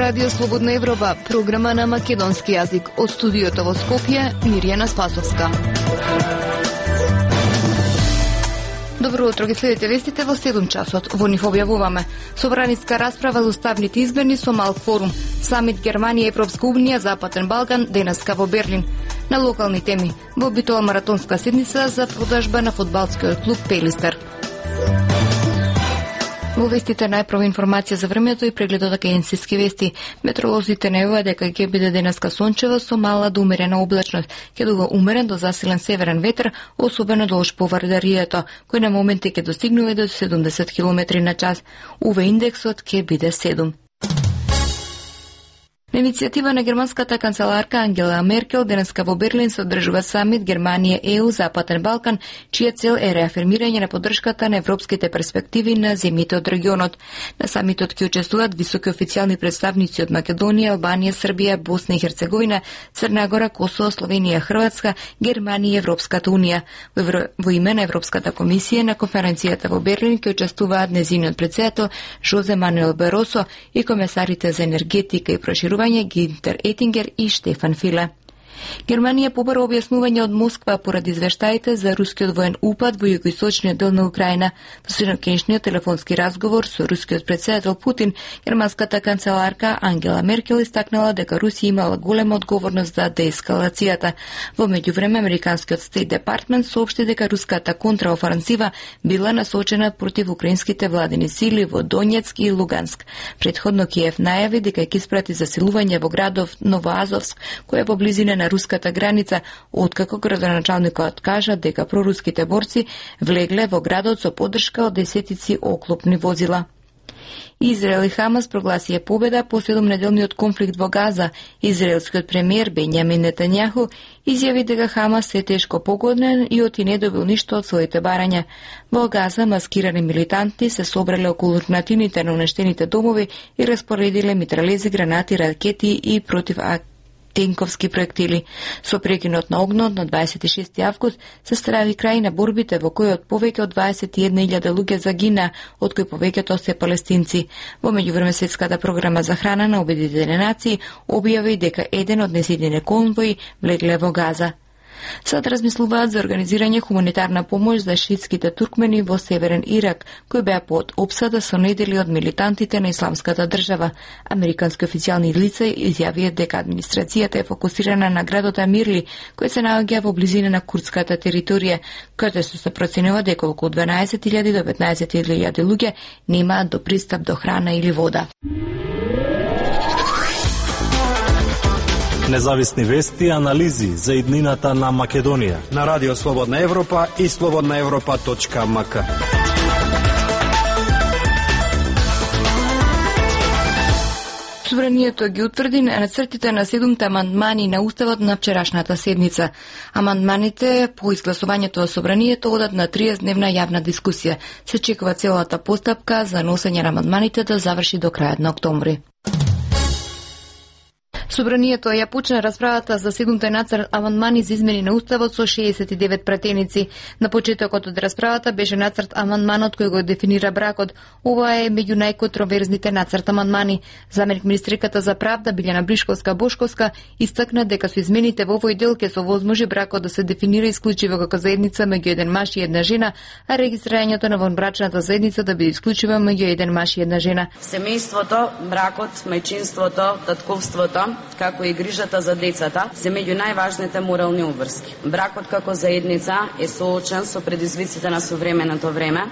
Радио Слободна Европа, програма на македонски јазик. Од студиото во Скопје, Мирјана Спасовска. Добро утро, ги следите вестите во 7 часот. Во нив објавуваме: собраниска расправа за уставните изборни со мал форум, самит Германија, Европска унија, Западен Балкан денеска во Берлин. На локални теми: во битола маратонска седница за продажба на фудбалскиот клуб Пелистер. Во вестите најпрва информација за времето и прегледот на агенциски вести. Метеоролозите најавуваат дека ќе биде денеска сончево со мала до умерена облачност. Ќе дува умерен до засилен северен ветер, особено долж по Вардарието, кој на моменти ќе достигнува до 70 км на час. УВ индексот ќе биде 7. На иницијатива на германската канцеларка Ангела Меркел денеска во Берлин се одржува самит Германија ЕУ Западен Балкан, чија цел е реафирмирање на поддршката на европските перспективи на земјите од регионот. На самитот ќе учествуваат високи официјални представници од Македонија, Албанија, Србија, Босна и Херцеговина, Црна Гора, Косово, Словенија, Хрватска, Германија и Европската унија. Во име на Европската комисија на конференцијата во Берлин ќе учествуваат незиниот претседател Жозе Мануел Баросо и комесарите за енергетика и проширување Гинтер Етингер и Штефан Филе. Германија побара објаснување од Москва поради извештаите за рускиот воен упад во југоисточниот дел на Украина. Во среднокенешниот телефонски разговор со рускиот претседател Путин, германската канцеларка Ангела Меркел истакнала дека Русија имала голема одговорност за деескалацијата. Во меѓувреме, американскиот Стейт Департмент соопшти дека руската контраофансива била насочена против украинските владини сили во Донецк и Луганск. Претходно Киев најави дека ќе испрати засилување во градов Новоазовск, кој е во близина на руската граница, откако градоначалникот кажа дека проруските борци влегле во градот со поддршка од десетици оклопни возила. Израел и Хамас прогласија победа по 7-неделниот конфликт во Газа. Израелскиот премиер Бенјамин Нетањаху изјави дека Хамас е тешко погоден и оти не добил ништо од своите барања. Во Газа маскирани милитанти се собрале околу урнатините на уништените домови и распоредиле митралези, гранати, ракети и против тенковски проектили. Со прекинот на огнот на 26 август се стави крај на борбите во кои од повеќе од 21.000 луѓе загина, од кои повеќето се палестинци. Во меѓувреме Светската програма за храна на Обединетите нации објави дека еден од незидите конвои влегле во Газа. Сад размислуваат за организирање хуманитарна помош за шиитските туркмени во Северен Ирак, кои беа под опсада со недели од милитантите на Исламската држава. Американски официјални лица изјавија дека администрацијата е фокусирана на градот Амирли, кој се наоѓа во близина на курдската територија, каде се проценува дека околу 12.000 до 15.000 луѓе немаат до пристап до храна или вода. Независни вести и анализи за иднината на Македонија на Радио Слободна Европа и slobodnaevropa.mk. Собранието ги утврди нацртите на 7 амандмани на Уставот на вчерашната седница. Амандманите по изгласувањето во Собранието одат на 30-дневна јавна дискусија. Се чекува целата постапка за носење на амандманите да заврши до крајот на октомври. Собранието ја почна расправата за 7 нацрт амандмани за измени на Уставот со 69 пратеници. На почетокот од расправата беше нацрт амандманот кој го дефинира бракот. Ова е меѓу најконтроверзните нацрт амандмани. Заменик министриката за правда Билјана Бришковска-Бошковска истакна дека со измените во овој дел ќе се овозможи бракот да се дефинира исклучиво како заедница меѓу еден маж и една жена, а регистрирањето на вонбрачната заедница да биде исклучиво меѓу еден маж и една жена. Семејството, бракот, мајчинството, татковството, како и грижата за децата, се меѓу најважните морални обврски. Бракот како заедница е соочен со предизвиците на современото време,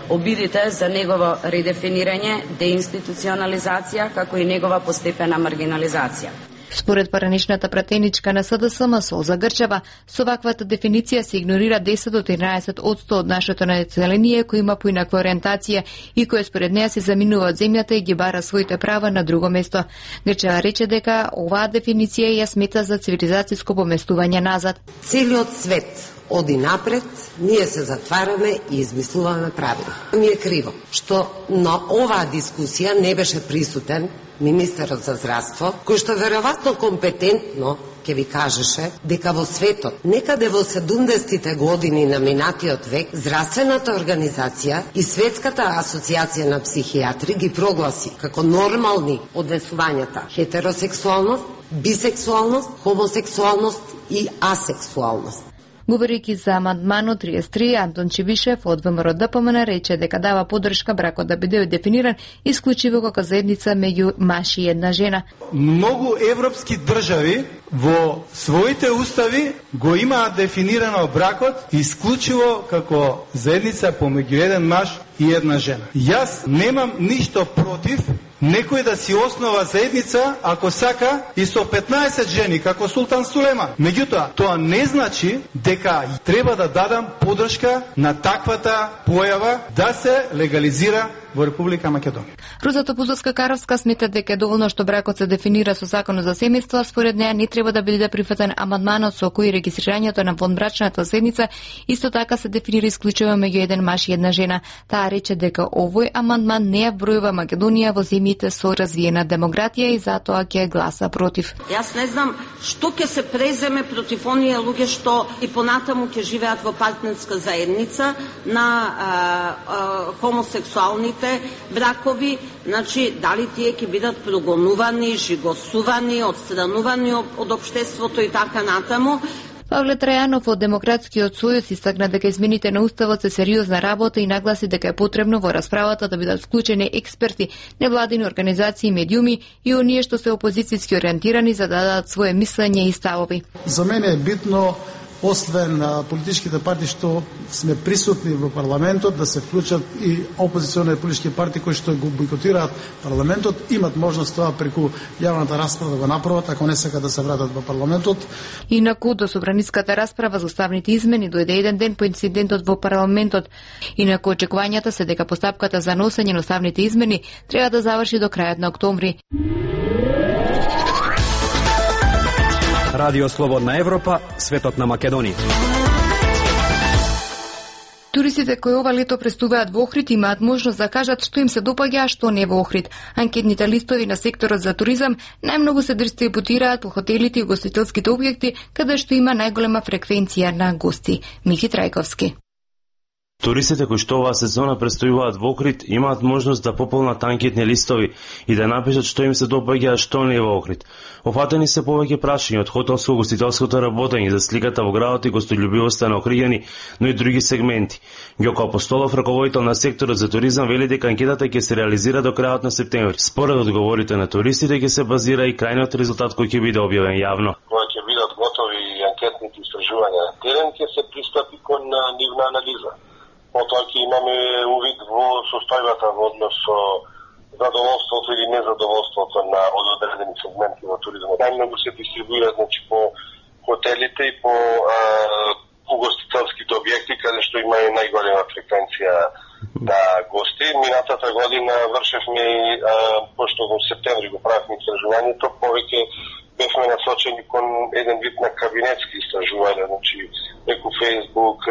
обидите за негово редефинирање, деинституционализација, како и негова постепена маргинализација. Според параничната пратеничка на СДСМ Солза Грчева, со ваквата дефиниција се игнорира 10 до 13% од нашето население кој има поинаква ориентација и кој според неа се заминува од земјата и ги бара своите права на друго место. Грчева рече дека оваа дефиниција ја смета за цивилизацијско поместување назад. Целиот свет оди напред, ние се затвараме и измислуваме правила. Ми е криво што на оваа дискусија не беше присутен министерот за здравство, кој што веројатно компетентно ќе ви кажеше дека во светот, некаде во 70-тите години на минатиот век, Здравствената организација и Светската асоциација на психијатри ги прогласи како нормални однесувањата хетеросексуалност, бисексуалност, хомосексуалност и асексуалност. Говорејќи за амандманот 33, Антон Чибишев од ВМРО ДПМН рече дека дава поддршка бракот да биде дефиниран исклучиво како заедница меѓу маж и една жена. Многу европски држави во своите устави го имаат дефинирано бракот исклучиво како заедница помеѓу еден маж и една жена. Јас немам ништо против некој да си основа заедница ако сака и со 15 жени како Султан Сулеман. Меѓутоа, тоа не значи дека треба да дадам поддршка на таквата појава да се легализира во Република Македонија. Роза Топузовска-Каровска смета дека е доволно што бракот се дефинира со Законот за семејство, според неа не треба да биде прифатен амандманот со кој регистрирањето на вонбрачната заедница исто така се дефинира исклучиво меѓу еден маж и една жена. Таа рече дека овој амандман не ја вбројува Македонија во земјите со развиена демократија и затоа ќе гласа против. Јас не знам што ќе се преземе против оние луѓе што и понатаму ќе живеат во партнерска заедница на хомосексуалните бракови, значи дали тие ќе бидат прогонувани, жигосувани, отстранувани од општеството и така натаму. Павле Трајанов од Демократскиот сојуз истакна дека измените на уставот се сериозна работа и нагласи дека е потребно во расправата да бидат вклучени експерти, невладини организации, медиуми и оние што се опозицијски ориентирани за да дадат свое мислење и ставови. За мене е битно, освен политичките партии што сме присутни во парламентот, да се вклучат и опозициони политички партии кои што го бойкотираат парламентот, имат можност тоа преку јавната расправа да го направат, ако не сакат да се вратат во парламентот. Инаку до собраниската расправа за уставните измени дојде еден ден по инцидентот во парламентот. Инаку очекувањата се дека постапката за носење на уставните измени треба да заврши до крајот на октомври. Радио Слободна Европа, светот на Македонија. Туристите кои ова лето престуваат во Охрид имаат можност да кажат што им се допаѓа, а што не во Охрид. Анкетните листови на секторот за туризам најмногу се дистрибутираат по хотелите и гостителските објекти, каде што има најголема фреквенција на гости. Михи Трајковски. Туристите кои што оваа сезона престојуваат во Охрид имаат можност да пополнат анкетни листови и да напишат што им се допаѓа, а што не во Охрид. Офатени се повеќе прашања од хотелско-гостителското работење за сликата во градот и гостољубивоста на охриѓани, но и други сегменти. Ѓоко Апостолов, раководител на секторот за туризам, вели дека анкетата ќе се реализира до крајот на септември. Според одговорите на туристите ќе се базира и крајниот резултат кој ќе биде објавен јавно. Кога ќе бидат готови анкетните истражувања на терен, ќе се пристапи кон нивна анализа. Потоа ќе имаме увид во состојбата во однос со задоволството или незадоволството на одредени сегменти во туризмот. Најмногу се дистрибуира, значи, по хотелите и по угостителските објекти, каде што има и најголема фреквенција на гости. Минатата година вршевме и, пошто во септември го правевме истражувањето, повеќе бевме насочени кон еден вид на кабинетски истражувања, значи, преку Facebook,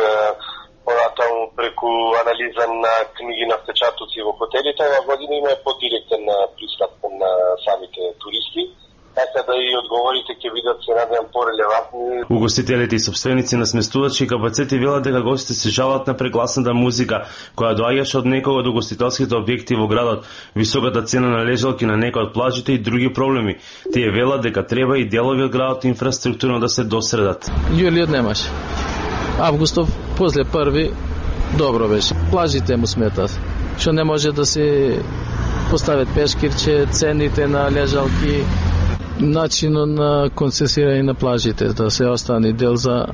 понатаму преку анализа на книги на впечатоци во хотелите. Ова година има подиректен пристап на самите туристи, така да и одговорите ќе бидат, се надевам, порелевантни. Угостителите и собственици на сместувачки капацети велат дека гостите се жалат на прегласната музика, која доаѓаше од некога до гостителските објекти во градот, високата цена на лежалки на некои од плажите и други проблеми. Тие велат дека треба и делови од градот инфраструктурно да се досредат. Јулиот немаше. Августов, после први, добро беше. Плажите му сметат, што не може да се поставят пешкирче, цените на лежалки, начинот на концесирање на плажите, да се остане дел за,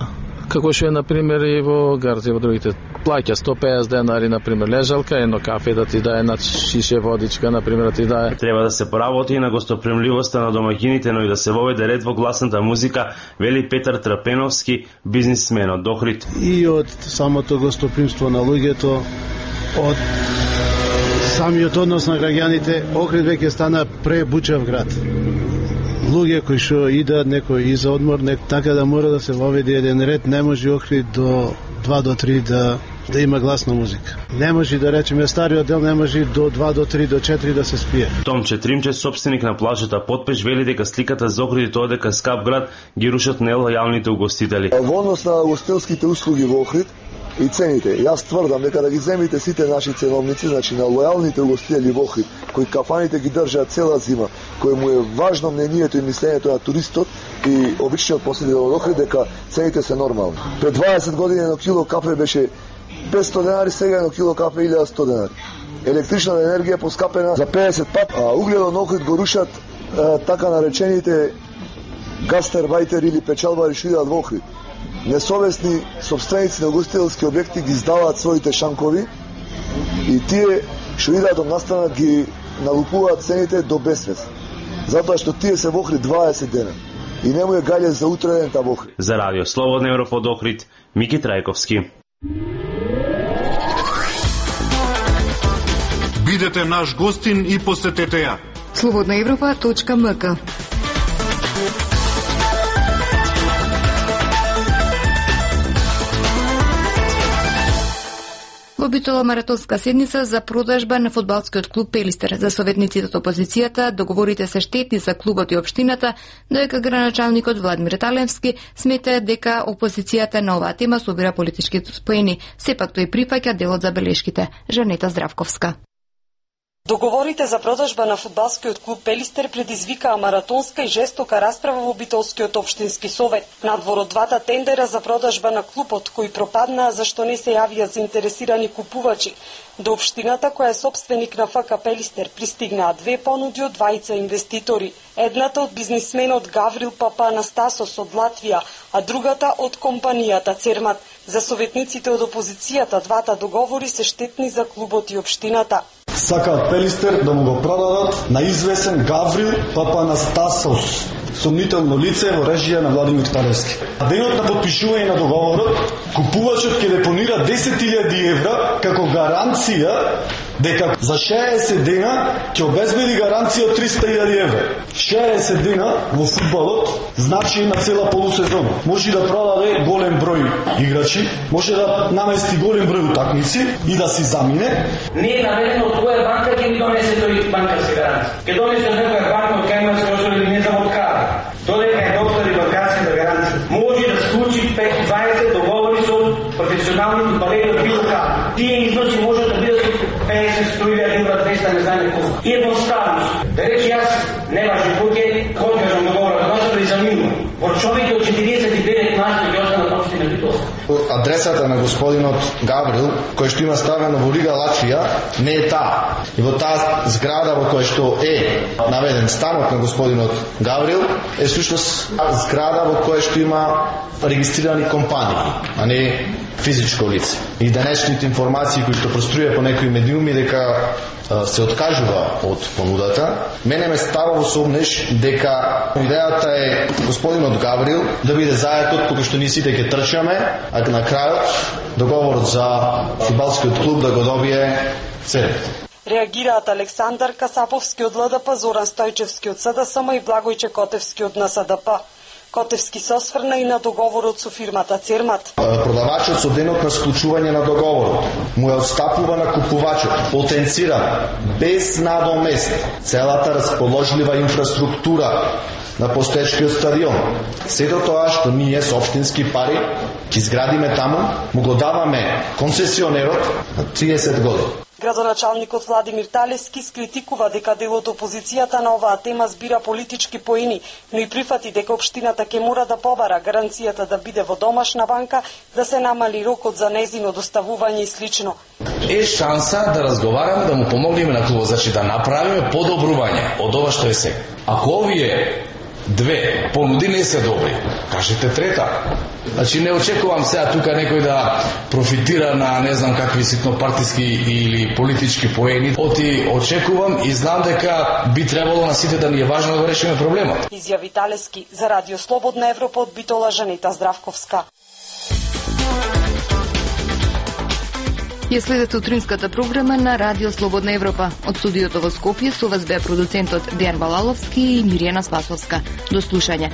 како што е, например, и во Гард и во другите. Плаќа 150 денари, например, лежалка, едно кафе да ти дае, на шише водичка, например, да ти дае. Треба да се поработи и на гостопримливоста на домаќините, но и да се воведе ред во гласната музика, вели Петар Трапеновски, бизнисмен од Охрид. И од самото гостопримство на луѓето, од самиот однос на граѓаните, Охрид веќе стана пребучав град. Луѓе кои што идат некој и за одмор, така да мора да се воведе еден ред, не може Охрид до 2 до 3 да да има гласна музика. Не може да речеме стариот дел не може до 2 до 3 до 4 да се спие. Томче Тримче, собственик на плажата Потпеш, вели дека сликата за Охрид тоа дека скап град ги рушат нелојалните угостители. Во однос на ugostителските услуги во Охрид и цените, јас тврдам дека да ги земите сите наши ценовници, значи на лојалните угостители во Охрид, кои кафаните ги држат цела зима, кој му е важно мнението и мислењето на туристот и обичниот посетител од Охрид, дека цените се нормални. Пред 20 години едно кило кафе беше 500 денари, сега едно кило кафе 1100 денари. Електричната енергија поскапена за 50 пат, а угледот на Охрид го рушат така наречените гастербајтери или печалбари што идат во Охрид. Несовесни собственици на угостителски објекти ги издаваат своите шанкови и тие што идат од настана ги налупуваат цените до безсвест. Затоа што тие се во Охрид 20 дена и не му е гаље за утре дента во Охрид. За Радио Слободна Европа од Охрид, Мики Трајковски. Бидете наш гостин и посетете ја. slobodnaevropa.mk. Во битола маратонска седница за продажба на фудбалскиот клуб Пелистер. За советниците од опозицијата договорите се штетни за клубот и општината, доека граначалникот Владимир Талевски смета дека опозицијата на оваа тема собира политички поени. Сепак тој прифаќа дел од забелешките. Жанета Здравковска. Договорите за продажба на фудбалскиот клуб Пелистер предизвикаа маратонска и жестока расправа во Битолскиот општински совет. Надвор од двата тендера за продажба на клубот, кои пропаднаа зашто не се јавија заинтересирани купувачи, до општината која е собственик на ФК Пелистер пристигнаа две понуди од двајца инвеститори. Едната од бизнисменот Гаврил Папанастасос од Латвија, а другата од компанијата Цермат. За советниците од опозицијата двата договори се штетни за клубот и општината. Сакаат Пелистер да му го продадат на известен Гаврил Папанастасос, сомнително лице во режија на Владимир Талевски. Денот на подпишување на договорот, купувачот ќе депонира 10.000 евра како гаранција дека за 60 дена ќе обезбеди гаранција од 300.000 евра. 60 дена во фудбалот значи на цела полусезона. Може да продаде голем број играчи, може да намести голем број утакмици и да си замине. Не е наведено која банка ќе ни донесе тој банкарски гаранција. Ќе донесе некоја банка од кај има се или не знам од каде. Додека е доктор и банкарската гаранција. Може да склучи 5-20 договори со професионални фудбалери од било каде. Тие износи може да бидат 50-100.000 евра, 200, не знам колку. И едноставност. Да речи јас не важи кој кажам договорот, но да изаминувам. Во човеќе од 49 наши ќе останат општина Битолска. Адресата на господинот Гаврил, кој што има ставено во Рига, Латвија, не е таа. И во таа зграда во која што е наведен станот на господинот Гаврил, е всушност зграда во која што има регистрирани компании, а не физичко лице. И денешните информации кои што проструја по некои медиуми дека се откажува од понудата, мене ме става во сомнеш дека идејата е господинот Гаврил да биде заетот кога што ние сите ќе трчаме, а на крајот договорот за фудбалскиот клуб да го добие Цермат. Реагираат Александар Касаповски од ЛДП, Зоран Стојчевски од СДСМ и Благојче Котевски од НСДП. Котевски се осврна и на договорот со фирмата Цермат. Продавачот со денот на склучување на договорот му е отстапува на купувачот, потенцира без надомест целата расположлива инфраструктура на постоечкиот стадион. Сето тоа што ние со општински пари ќе изградиме таму, му го даваме концесионерот на 30 години. Градоначалникот Владимир Талевски скритикува дека дел од опозицијата на оваа тема збира политички поени, но и прифати дека општината ќе мора да побара гаранцијата да биде во домашна банка, да се намали рокот за нејзино доставување и слично. Е шанса да разговараме, да му помогнеме на клубот, значи да направиме подобрување од ова што е сега. Ако овие две понуди не се добри, кажете трета. Значи не очекувам сега тука некој да профитира на не знам какви ситнопартиски или политички поени. Очекувам и знам дека би требало на сите да ни е важно да решиме проблемот. Изјави Талевски за Радио Слободна Европа од Битола, Жанета Здравковска. Ја следете утринската програма на Радио Слободна Европа. Од студиото во Скопје со вас беа продуцентот Дејан Балаловски и Миријана Спасовска. До слушање.